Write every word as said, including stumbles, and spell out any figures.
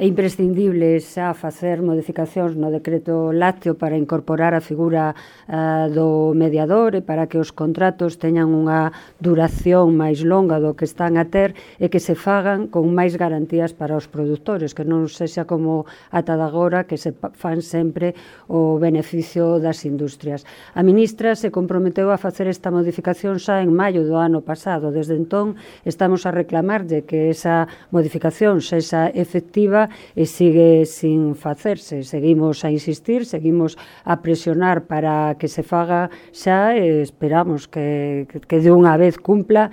é imprescindible xa facer modificacións no decreto lácteo para incorporar a figura uh, do mediador e para que os contratos teñan unha duración máis longa do que están a ter e que se fagan con máis garantías para os produtores, que non sexa como ata de agora que se fan sempre o beneficio das industrias. A ministra se comprometeu a facer esta modificación xa en maio do ano pasado. Desde entón estamos a reclamarlle que esa modificación sexa efectiva e sigue sin facerse. Seguimos a insistir, seguimos a presionar para que se faga xa e esperamos que, que de unha vez cumpla